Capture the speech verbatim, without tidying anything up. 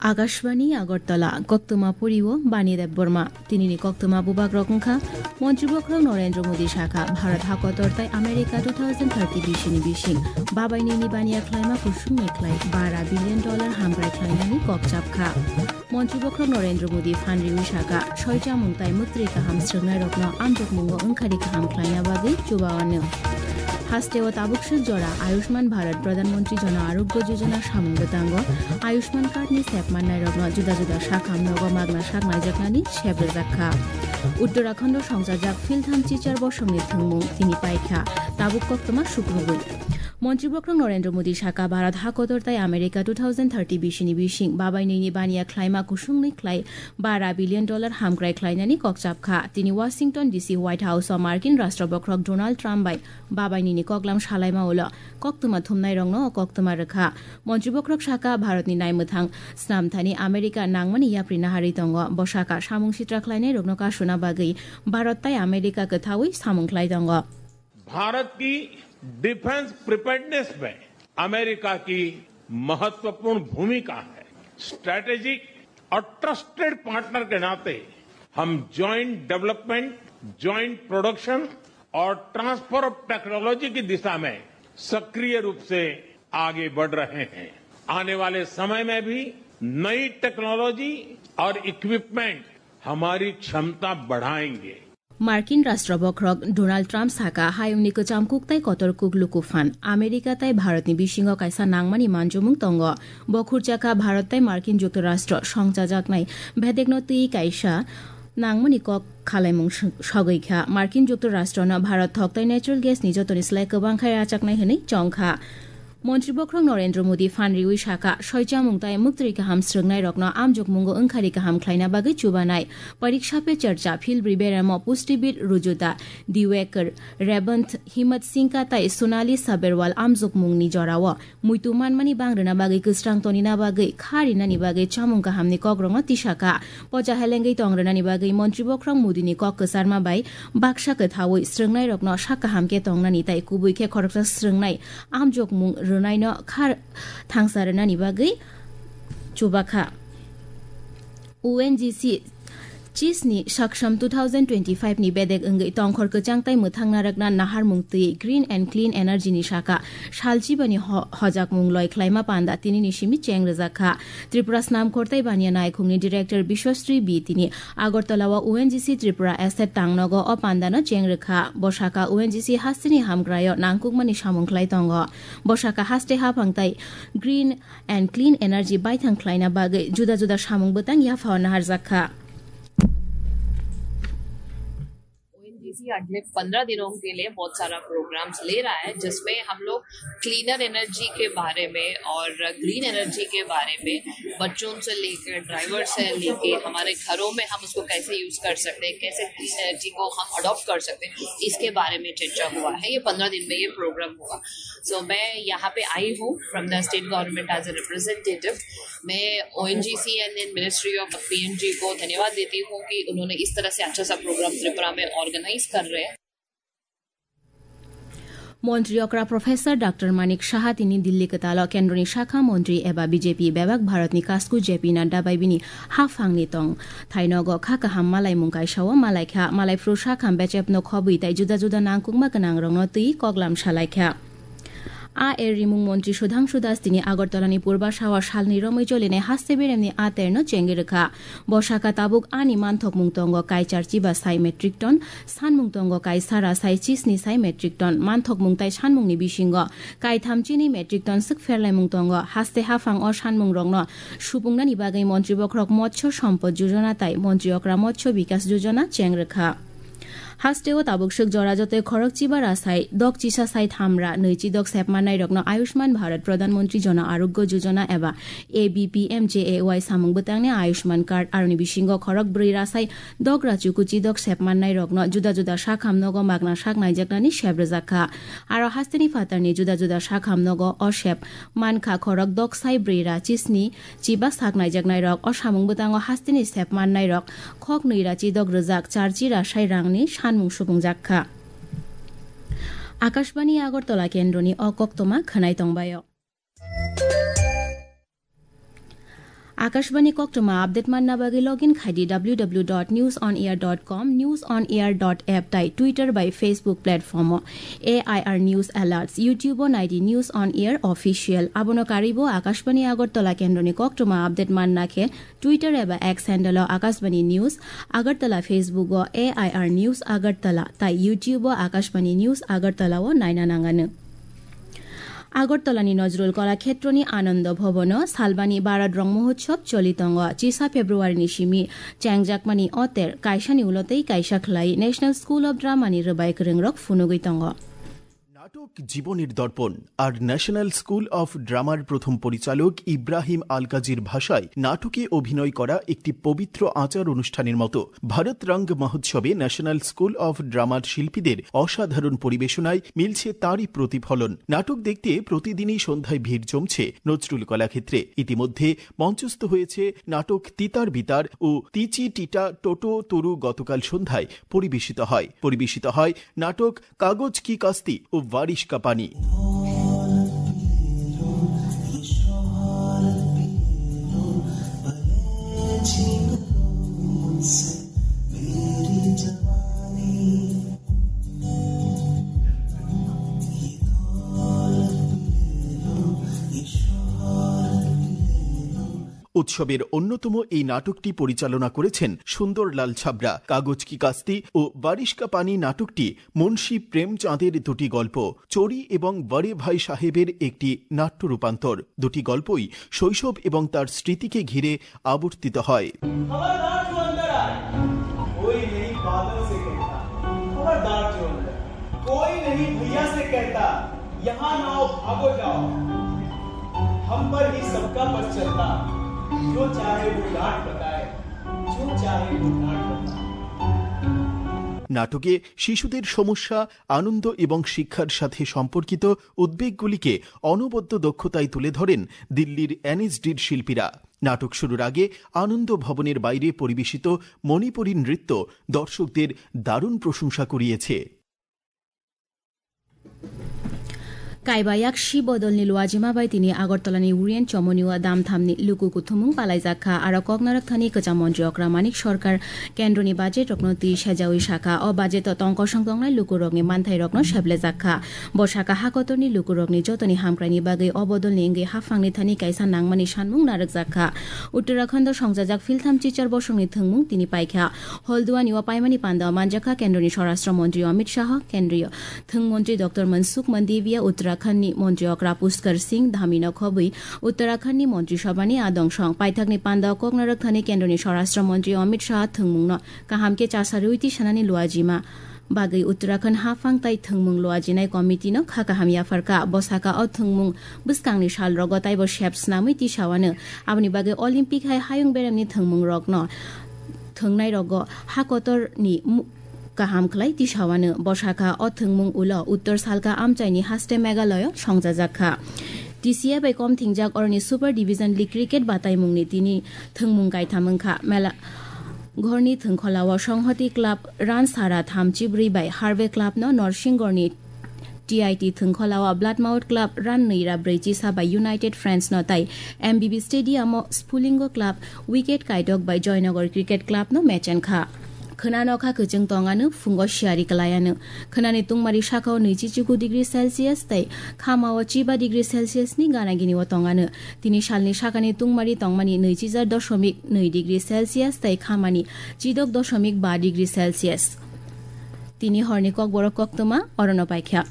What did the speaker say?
Akashbani Agartala, koktwma poriwo Bani Debbarma. Tinini koktwma bubagrok wngkha, Montri Bokhorok Narendra Modi sakha, Bharat hakotor tai America two thousand thirty bisini bising babai nini baniya khlaima kusungni khlai bara billion dollar hamkrai khlainani kok chapkha. Montri Bokhorok Narendra Modi phan riwi sakha, soi chamung tai mwktwi kaham srwngnairokno amjokmungo wngkhari kaham khlaina bagwi chubaono. Hasteo tabukswk jora Ayushman Bharat Pradhan Mantri Jana Arogya Yojana samung bwtango Ayushman Card ni sep mannairokno juda juda sakham nogo magna sak naijaknani sep rwjakha. Uttarakhando songchajak philtham chichar bosongni thwngmung tini paikha, tabuk koktwma sukrubui. Montri Bokhorok Narendra Modi sakha, Bharat hakotor tai America two thousand thirty bisini bising babai nini baniya khlaima kusungni khlai bara billion dollar hamkrai khlainani kok chapkha. Tini Washington D C White House o Markin Rashtra Bokhorok Donald Trump bai babai nini koklam salaima ulo koktwma thumnairokno o koktwma rwkha. Montri Bokhorok sakha, Bharatni naimwthang snamthani America nangmani yapri naharwi tongo. Bo sakha, samung sitra khlainairokno kasuna bagwi Bharat tai America kwthaui samung khlai tongo. Bharat की defence preparedness में अमेरिका की महत्वपूर्ण भूमिका है। स्ट्रेटेजिक और trusted partner के नाते हम जॉइंट डेवलपमेंट, जॉइंट प्रोडक्शन और ट्रांसफर ऑफ टेक्नोलॉजी की दिशा में सक्रिय रूप से आगे बढ़ रहे हैं। आने वाले समय में भी नई टेक्नोलॉजी और इक्विपमेंट हमारी क्षमता बढ़ाएंगे। Markin Rashtra Bokhorok Donald Trump sakha, hayungni kwcham kuk tai kotor kuk luku phan America tai Bharatni bisingo kaisa nangmani manjomung tongo. Bo khurchakha Bharat tai Markin Juktarashtra songchajaknai bedekno twi kaisa nangmani kok khalaimung s-, sogwi kha. Markin Juktarashtrano Bharat thok tai natural gas ni jotoni slai kwbang khai rachaknai hwnwi chong kha. Montri Bokhorok Narendra Modi phan riwi sakha, soi chamung tai mwktwi kaham srwngnairokno amjokmungo wngkhari kaham khlaina bagwi chubanai. Pariksha Pe Charcha, Philbri Beremo, Pushtibid Rujuta Divekar, Rebanth Himat Singha tai Sonali Sabharwal amjokmungni jorao muitu manmani bang rwna bagwi kwsrang tonina bagwi kha rinani bagwi chamung kahamni kokrokno tisakha. Pocha helengwi tong rwnani bagwi Montri Bokhorok Modini kok kwcharma bai baksa kwthaui srwngnairokno sak kaham khe tongnani tai kubui khe khoroksa srwngnai amjokmung rwnaino kha thangsa rwnani bagwi chubakha. O N G C chisni Saksham two thousand twenty-five ni bedek wngwi tongkhor kwchang tai mwthang narwkna naharmung twi Green and Clean Energy ni saka salchibani ho-, hojakmung loi khlaima panda tinini simi cheng rwjakha. Tripura Snamkhor tei Baniya Naikhungni Director Biswasri B tini Agartala o O N G C Tripura Asset tangnogo o pandano cheng rwkha. Bo saka O N G C hasteni hamkraio nangkukmani samung khlai tongo. Bo saka haste haphang tai Green and Clean Energy baithang khlaina bagwi juda juda samung bwtang yaphao naharjakha. ONGC अगले पंद्रह दिनों के लिए बहुत सारा प्रोग्राम्स ले रहा है, जिसमें हम लोग क्लीनर एनर्जी के बारे में और ग्रीन एनर्जी के बारे में, बच्चों से लेकर ड्राइवर से लेके हमारे घरों में हम उसको कैसे यूज़ कर सकते हैं, कैसे क्लीन एनर्जी को हम अडॉप्ट कर सकते हैं, इसके बारे में चर्चा हुआ है। ये पंद्रह दिन में ये प्रोग्राम हुआ। सो मैं यहाँ पे आई हूँ from the state government as a representative। मैं ONGC and then ministry of PNG को धन्यवाद देती हूँ कि उन्होंने इस तरह से अच्छा सा प्रोग्राम त्रिपुरा में ऑर्गेनाइज कर रहे हैं। Montri okra Professor Doctor Manik Saha tini Delhi kwtalo kendroni sakha montri eba B J P bebak Bharatni kasku J P Nadda bai bini haphangni tong thainogo kha kaham malaimung kaisao malaikha. Malaiphru sakham bechepno khobwi tai juda juda nangkukma gwnangrokno twi koklam salaikha. A er rimung montri Sudhangshu Das tini Agartalani Purbasao salni romwi cholinai haste beremni a terno chengwi rwkha. Bo saka tabuk ani manthokmung tongo kaichar chiba sai metric ton, sanmung tongo kaisara sai chisni sai metric ton. Manthokmung tai sanmungni bisingo kaitham chini metric ton swk pherlaimung tongo. Haste haphang o sanmungrokno supungnani bagwi Montri Bokhorok Motsyo Sompod Yojana tai Montri Okra Motsyo Bikas Yojana cheng rwkha. Hasteo tabuk swk jora jotoi khorok chiba ra sai dok chisa sai tham ra nwi chi dok sepmannai rokno Ayushman Bharat Pradhan Mantri Jana Arogya Yojana eba A B P M J A Y samung bwtangni Ayushman Card aroni bisingo khorok bwrwi ra sai dok ra chuku chi dok sepmannai rokno juda juda sakham nogo magna sak naijaknani sep rwjak kha. Aro hasteni phatarni juda juda sakham nogo o sep mankha khorok dok sai bwrwi ra chisni chiba sak naijaknairok o samung bwtango hasteni sep mannairok khok nwi ra chi dok rwjak char chi ra sai rangni sanmung supungjak kha. Akashbani Agartala kendroni o koktwma khwnai tongbaio. Akashbani koktwma update manna bagwi login khaidi w w w dot news on air dot com, news on air dot app tai Twitter bai Facebook platform o A I R News Alerts, YouTube o naidi News on Air Official. Abono karwibo Akashbani Agartala kendroni koktwma update manna khe Twitter eba X handle o Akashbani News Agartala, Facebook o A I R News Agartala tai YouTube o Akashbani News Agartala o naina nangano. Agartalani Nazrul Kala Khetroni Anando Bhavan o Salbani Bharat Rong Mahotsav choli tongo. Chisa February ni simi chengjakmani oter kaisani ulo tei kaisa khlai National School of Drama ni rwbai kwrwngrok phunugwi tongo. নাটক জীবনের দর্পণ আর national school of ড্রামার প্রথম পরিচালক ইব্রাহিম আলকাজির ভাষায় নাটকে অভিনয় করা একটি পবিত্র আচার অনুষ্ঠানের মতো। ভারত রঙ্গ মহোৎসবে ন্যাশনাল স্কুল অফ ড্রামার শিল্পীদের অসাধারণ পরিবেশনায় মিলছে তারই প্রতিফলন। নাটক দেখতে প্রতিদিনই সন্ধ্যায় ভিড় জমছে নজরুল কলাক্ষেত্রে। ইতিমধ্যে মঞ্চস্থ হয়েছে নাটক তিতার বিতার ও তিচি টিটা টোটো তরু। গতকাল সন্ধ্যায় পরিবেশিত হয় পরিবেশিত হয় নাটক কাগজ কি কাস্তি ও বারিশ কা পানি। উৎসবের অন্যতম এই নাটকটি পরিচালনা করেছেন সুন্দরলাল ছাবরা। কাগজ কি কাস্তি ও বারিশ কা পানি নাটকটি মুন্সি প্রেমচাঁদের দুটি গল্প, চোরি এবং বড়ে ভাই সাহেবের একটি নাট্য রূপান্তর। দুটি গল্পই শৈশব এবং তার স্মৃতিকে ঘিরে আবর্তিত হয়। खबरदार जो अंदर आए, कोई नहीं बादल से कहता। खबरदार जो अंदर, कोई नहीं भैया से कहता, यहाँ ना आओ, भागो जाओ। हम पर ही सबका बस चलता, जो चाहे वो डांट बताए, जो चाहे वो डांट बताए। নাটকে শিশুদের সমস্যা, আনন্দ এবং শিক্ষার সাথে সম্পর্কিত উদ্বেগগুলিকে অনবদ্য দক্ষতায় তুলে ধরেন দিল্লির এনএসডির শিল্পীরা। নাটক শুরুর আগে আনন্দ ভবনের বাইরে পরিবেশিত মণিপুরী নৃত্য দর্শকদের দারুণ প্রশংসা কুড়িয়েছে। Kaiba yak si bodolni luajima bai tini Agartalani Orient Chomoni o damthamni luku kuthumung palaijak kha. Aro koknarok thani kwcham montri okra Manik Sarkar kendroni budget rokno twi sejaui sakha. O budget o tongkosong tongnai lukurokni manthairokno seplejak kha. Bo sakha, hakotorni lukurokni jotoni hamkraini bagwi o bodolni wngwi haphangni thani kaisa nangmani sanmung narwkjak kha. Uttarakhando songjajak philtham chichar bosongni thwngmung tini paikha. Holduani o paimani panda o manjakha kendroni Swarashtra Montri Amit Shah, kendriyo thwng montri Doctor Mansukh Mandaviya, Uttarakhandni montri okra Pushkar Singh Dhamino khobwi Uttarakhandni montri sabhani adongso. Paithakni panda o koknarok thani kendroni Swarashtra Montri Amit Shah thwngmungno kaham khe chasarwi twi sanani luajima bagwi Uttarakhand haphang tai thwngmung luajinai committee no kha kaham yapharkha. Bo sakha, o thwngmung bwskangni salrogo taibo sep snamwi tisawano. Aboni bagwi Olympic hai hayung beremni thwngmungrokno thwngnairogo hakotorni mu-, kaham khlai tisawano. Bo sakha, o thwngmung ulo Uttor Salka amchaini haste Meghalaya songjajak kha. T C A bai kom thingjak oroni Super Division League cricket bataimungni tini thwngmung kaitham wngkha. Mela Ghorni thwngkholao Songhoti Club run sara thamchi bwrwi bai Harvey Club no Norsinghorni T I T thwngkholao Bloodmouth Club run nwi ra brwi chisa bai United Friends no tai M B B Stadium o Spulingo Club wicket kaitok bai Joynagar Cricket Club no match wngkha. Khwna nokha kwchwng tongano, phungo siyari kwlaiano. Khwnani tungmari sakao nwichi chuku degree Celsius tei khamao chiba degree Celsius ni gana gini o tongano. Tini salni sakani tungmari tongmani nwichi jar dosomik nwi degree Celsius tei khamani chidok dosomik ba degree Celsius. Tini horni kokborok koktwma orono paikha.